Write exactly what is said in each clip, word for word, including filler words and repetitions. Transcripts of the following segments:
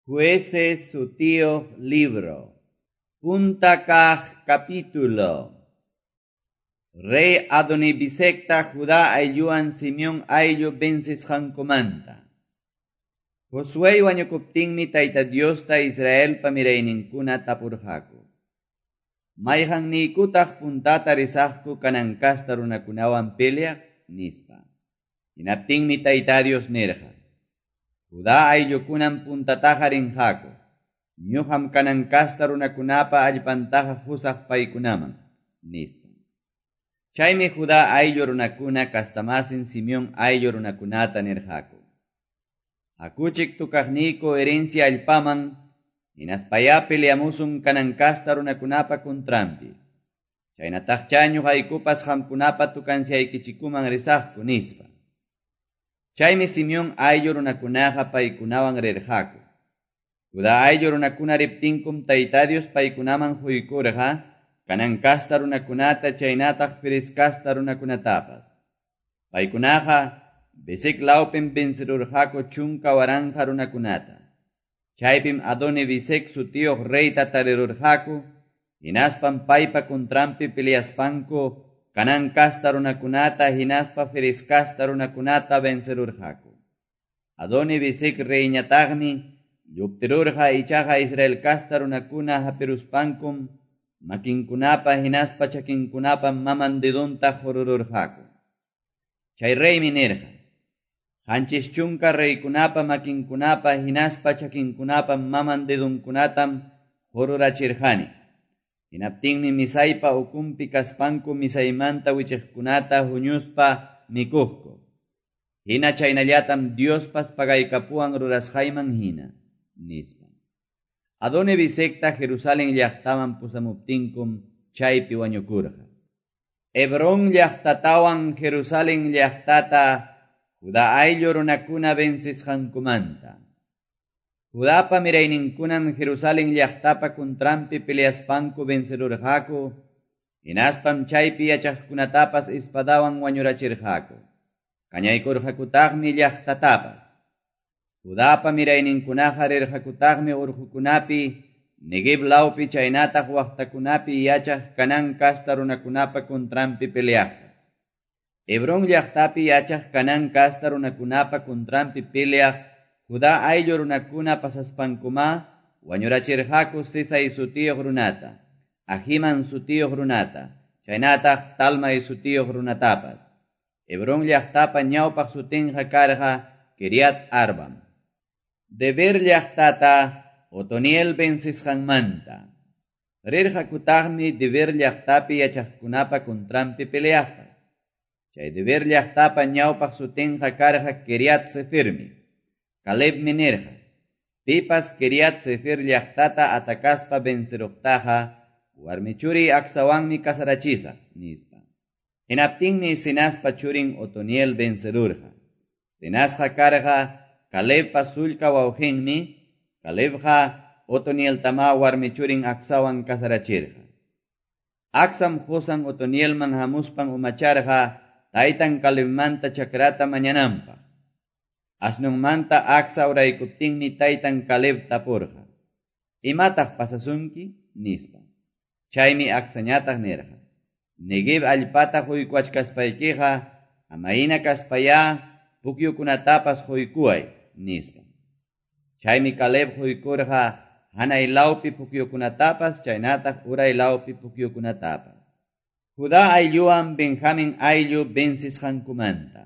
Jueces sutiyuq libro. Punta kaq capítulo. Rey Adonibisecta Judá aylluwan Simeón ayllu vencisqankumanta. Josué wañukuptinmi Tayta Diosta Israelpa mirayninkuna tapurqaku. Mayqanniykutaq puntata risaqku Canaán kasta runakunawan peleaq nispa. Hinaptinmi Tayta Dios nirqa: Judá ayllukunam puntataqa rinqaku. Ñuqam Canaán kasta runakunapa allpantaqa qusaq paykunaman, nispa. Chaymi Judá ayllu runakuna kastamasin Simeón ayllu runakunata nirqaku: Hakuchik tukaqniyku herencia allpaman, hinaspayá peleamusun Canaán kasta runakunapa contranpi. Chaynataqchá ñuqaykupas qamkunapa tukanciaykichikuman risaqku, nispa. Chaymi Simeón ayllu runakunaqa paykunawan rirqaku. Judá ayllu runakuna riptinkum Tayta Dios paykunaman quykurqa Canaán kasta runakunata chaynataq Ferez kasta runakunatapas. Paykunaqa Bezek lawpim vencerurqaku chunka waranqa runakunata. Chaypim Adoni-Bezek sutiyuq reyta tarirurqaku, hinaspam paypa contranpi peleaspanku Canaán kasta runakunata hinaspa Ferez kasta runakunata vencerurqaku. Adoni-Bezek reyñataqmi lluptirurqa, ichaqa Israel kasta runakuna hapiruspankum makinkunapa hinaspa chakinkunapa maman dedonta qurururqaku. Chay reymi nirqa: Qanchis chunka reykunapa makinkunapa hinaspa chakinkunapa maman dedonkunatam qururachirqani. Hinaptinmi misaypa ukunpi kaspanku misaymanta wichiqkunata huñuspa mikuqku. Hina chaynallatam Diospas pagaykapuwan rurasqayman hina, nispa. Adoni-Bezekta Jerusalén llaqtaman pusamuptinkum chaypi wañukurqa. Hebrón llaqtatawan Jerusalén llaqtata Judá ayllu runakuna vencisqankumanta. Judapa mirayninkunam Jerusalén llaqtapa contranpi peleaspanku vencerurqaku, hinaspam chaypi yachaqkunatapas espadawan wañurachirqaku. Kañaykurqakutaqmi llaqtatapas. Judapa mirayninkunaqa rirqakutaqmi urqukunapi, Neguev lawpi chaynataq waqtakunapi yachaq Canaán kasta runakunapa contranpi peleaqpas. Hebrón llaqtapi yachaq Canaán kasta runakunapa contranpi peleaq Judá ayllu runakuna pasaspankuma wañurachirqaku Sesai sutiyuq runata, Ahiman sutiyuq runata, chaynataq Talmai sutiyuq runatapas. Hebrón llaqtapa ñawpaq sutinqa karqa Kiriat Arbam. Debir llaqtata Otoniel vencisqanmanta. Rirqakutaqmi Debir llaqtapi yachaqkunapa contranpi peleaqpas. Chay Debir llaqtapa ñawpaq sutinqa karqa Kiriat Sefirmi. Calebmi nirqa: Pipas Kiriat Sefer llaqtata atakaspa venceruqtaqa warmi churiy Acsawanmi casarachisaq, nispa. Hinaptinmi Cenazpa churin Otoniel vencerurqa. Cenazqa karqa Calebpa sullka wawqinmi. Calebqa Otonieltama warmi churin Acsawan casarachirqa. Acsam qusan Otonielman hamuspan umacharqa taytan Calebmanta chakrata mañananpaq. Asnunmanta Acsa uraykuptinmi taytan Caleb tapurqa: Imataq pasasunki? Nispa. Chaymi Acsañataq nirqa: Neguev allpata quykuwachkaspaykiqa amayna kaspayá pukyukunatapas quykuway, nispa. Chaymi Caleb quykurqa hanay lawpi pukyukunatapas chaynataq uray lawpi pukyukunatapas. Judá aylluwan Benjamín ayllu vencisqankumanta.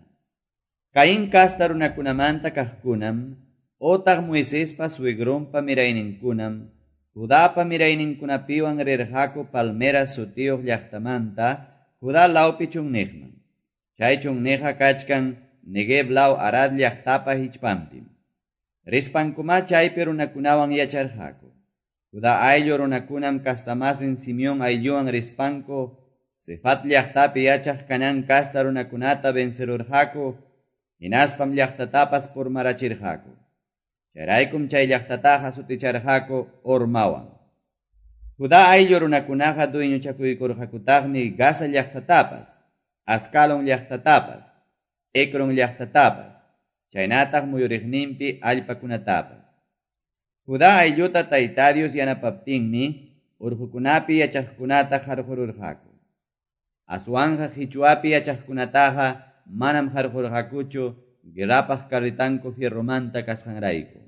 Caín kasta runakunamanta kaqkunam, otaq Moisespa suegrunpa mirayninkunam, Judapa mirayninkunapiwan rirqaku Palmera sutiyuq llaqtamanta Judá lawpi chunniqman. Chay chunniqqa kachkan Neguev law Arad llaqtapa hichpanpim. Rispankuma chaypi runakunawan yacharqaku. Judá ayllu runakunam kastamasin Simeón aylluwan rispanku Sefat llaqtapi yachaq Canaán kasta runakunata vencerurqaku, hinaspam llaqtatapas purmarachirqaku. Chayraykum chay llaqtataqa suticharqaku Hormawan. Judá ayllu runakunaqa dueñochakuykurqakutaqmi Gaza llaqtatapas, Ascalón llaqtatapas, Ecrón llaqtatapas, chaynataq muyuriqninpi allpakunatapas. Judá aylluta Tayta Dios yanapaptinmi urqukunapi yachaqkunata qarqururqaku. Aswanqa qichwapi yachaqkunataqa manam qarqurqakuchu guerrapaq carretanku fierromanta kasqanrayku.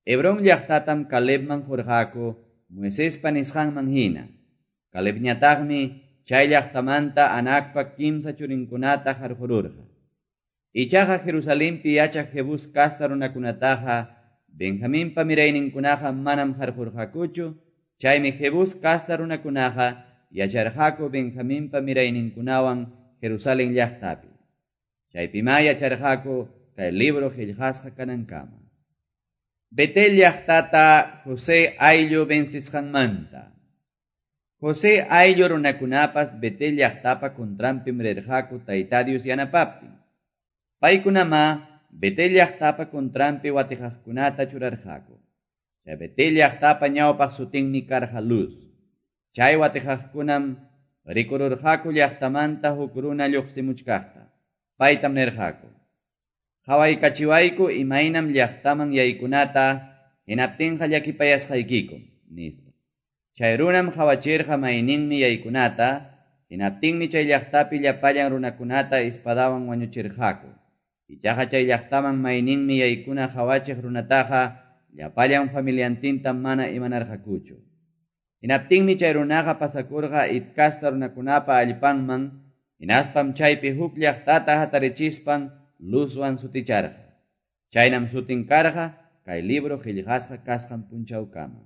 Hebrón llaqtatam Calebman qurqaku Moisespa nisqanman hina. Calebñataqmi chay llaqtamanta Anakpa kimsa churinkunata qarqururqa. Ichaqa Jerusalenpi yachaq Jebús kasta runakunataqa Benjaminpa mirayninkunaqa manam qarqurqakuchu, chaymi Jebús kasta runakunaqa yacharqaku Benjaminpa mirayninkunawan Jerusalén llaqtapi. Chaypimá yacharqaku kay libro qillqasqa kanankama. Betel llaqtata José ayllu vencisqanmanta. José ayllu runakunapas Betel llaqtapa contranpim rirqaku Tayta Dios yanapaptin. Paykunamá Betel llaqtapa contranpi watiqaqkunata churarqaku. Chay Betel llaqtapa ñawpaq sutinmi karqa Luz. Chay watiqaqkunam rikururqaku llaqtamanta huk runa lluqsimuchkaqta. Paytam nirqaku: Qhawaykachiwayku imaynam llaqtaman yaykunata, hinaptinqa llakipayasqaykiku, nispa. Chay runam qhawachirqa mayninmi yaykunata, hinaptinmi chay llaqtapi llapallan runakunata espadawan wañuchirqaku. Ichaqa chay llaqtaman mayninmi yaykuna qhawachiq runataqa llapallan familiantinta mana imanarqakuchu. Hinaptinmi chay runaqa pasakurqa Het kasta runakunapa allpanman, hinaspam chaypi huk llaqtata hatarichispan Luzwan suticharqa. Chaynam sutin karqa kay libro qillqasqa kasqan punchawkama.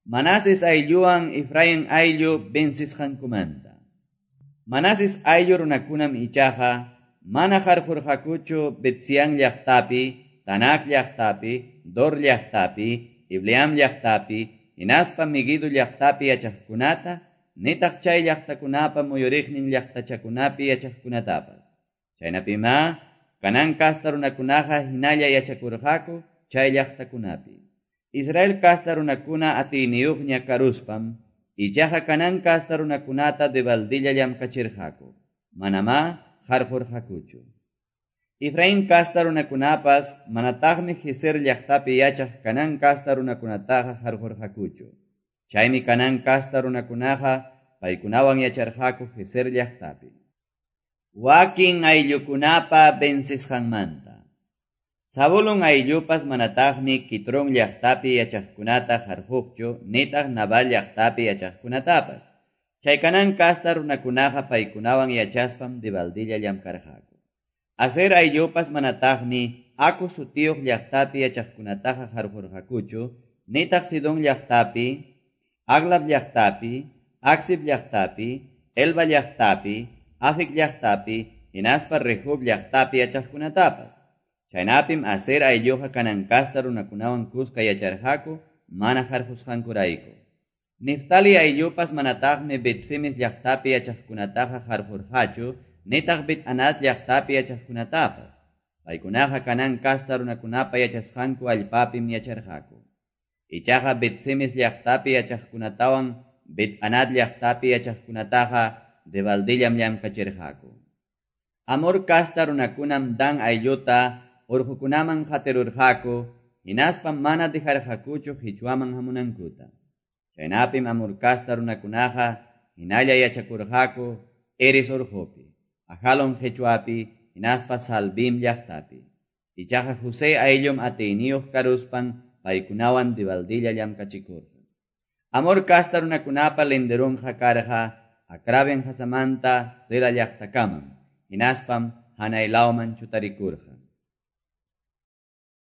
Manases aylluwan Efraín ayllu vencisqankumanta. Manases ayllu runakunam ichaqa mana qarqurqakuchu Betsián llaqtapi, Tanac llaqtapi, Dor llaqtapi, Ibleam llaqtapi, hinaspa Meguido llaqtapi yachaqkunata, nitaq chay llaqtakunapa muyuriqnin llaqtachakunapi yachaqkunatapas. Chaynapimá Canaán kasta runakunaqa hinalla yachakurqaku chay llaqtakunapi. Israel kasta runakuna atiyniyuqña karuspam, ichaqa Canaán kasta runakunata debaldilla llamkachirqaku. Manamá qarqurqakuchu. Efraín kasta runakunapas manataqmi Gezer llaqtapi yachaq Canaán kasta runakunataqa qarqurqakuchu. Chaymi Canaán kasta runakunaqa paykunawan yacharqaku Gezer llaqtapi. Wakin ayllukunapa vencisqanmanta. Zabulón ayllupas manataqmi Quitrón llaqtapi yachaqkunata qarquqchu, nitaq Nabal llaqtapi yachaqkunatapas. Chay Canaán kasta runakunaqa paykunawan yachaspam debaldilla llamkarqaku. Aser ayllupas manataqmi Aco sutiyuq llaqtapi yachaqkunataqa qarqurqakuchu, nitaq Sidón llaqtapi, Ahlab llaqtapi, Aczib llaqtapi, Helba llaqtapi, Afic llaqtapi, hinaspa Rehob llaqtapi yachaqkunatapas. Chaynapim Aser aylluqa Canaán kasta runakunawan kuska yacharqaku mana qarqusqankurayku. Neftali ayllupas manataqmi Bet-semes llaqtapi yachaqkunataqa qarqurqachu, nitaq Bet-anat llaqtapi yachaqkunatapas. Paykunaqa Canaán kasta runakunapa yachasqanku allpapim yacharqaku. Ichaqa Bet-semes llaqtapi yachaqkunatawan Bet-anat llaqtapi yachaqkunataqa debaldillam llamkachirqaku. Amor kasta runakunam Dan aylluta urqukunaman qatirurqaku, hinaspam mana dejarqakuchu qichwaman hamunankuta. Chaynapim Amor kasta runakunaqa hinalla yachakurqaku Heres urqupi, Ajalón qichwapi, hinaspa Salbim llaqtapi. Ichaqa José ayllum atiyniyuq karuspan paykunawan debaldilla llamkachikurqa. Amor kasta runakunapa linderunqa karqa Acrabim qasamanta Zela llaqtakamam, hinaspam hanay lawman chutarikurqa.